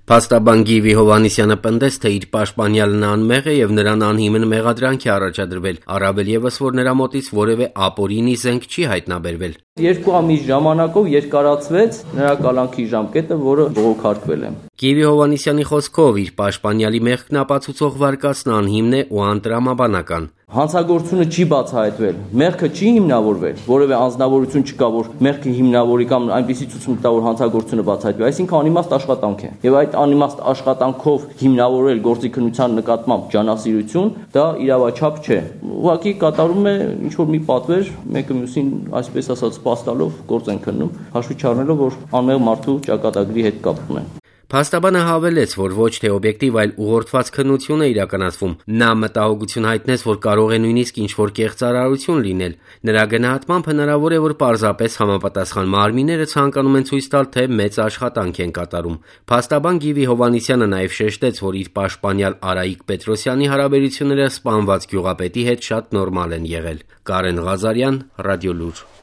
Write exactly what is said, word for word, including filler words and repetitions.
Փաստաբան Գիվի Հովհաննիսյանը պնդեց, թե իր պաշտպանյալն անմեղ է եւ նրան անհիմն մեղադրանք է առաջադրվել, առավել եւս, որ նրա մոտից որեւէ ապօրինի զենք չի հայտնաբերվել։ Երկու ամիս ժամանակով երկարացվեց նրա կալանքի ժամկետը, որը բողոքարկվել է։ Գիվի Հովհաննիսյանի խոսքով իր պաշտպանյալի մեղքն ապացուցող վարկածն անհիմն է ու անտրամաբանական։ Հանցագործությունը չի բացահայտվել, մեղքը չի հիմնավորվել, որևէ անձնավորություն չկա, որ մեղքը հիմնավորի կամ այնպիսի ցուցում տա, որ հանցագործությունը բացահայտվի, այսինքն անիմաստ աշխատանք է։ Եվ այդ անիմաստ աշխատանքով հիմնավորել գործի քննության նկատմամբ ջանասիրություն, դա իրավաչափ չէ։ Ուղղակի կատարում է ինչ-որ մի պատվեր, մեկը մյուսին, այսպես ասած, սպաստալով գործ են քննում, հաշվի չառնելով, որ անմեղ մարդու ճակատագրի հետ կապ ունեն։ Փաստաբանը հավելեց, որ ոչ թե օբյեկտիվ, այլ ուղղորդված քննություն է իրականացվում։ Նա մտահոգություն հայտնեց, որ կարող է նույնիսկ ինչ-որ կեղծարարություն լինել։ Նրա գնահատմամբ հնարավոր է, որ պարզապես համապատասխան մարմինները ցանկանում են ցույց տալ, թե մեծ աշխատանք են կատարում։ Փաստաբան Գիվի Հովհաննիսյանը նաև շեշտեց, որ իր պաշտպանյալ Արայիկ Պետրոսյանի հարաբերությունները սպանված գյուղապետի հետ շատ նորմալ են եղել։ Կարեն Ղազարյան, Ռադիոլուր։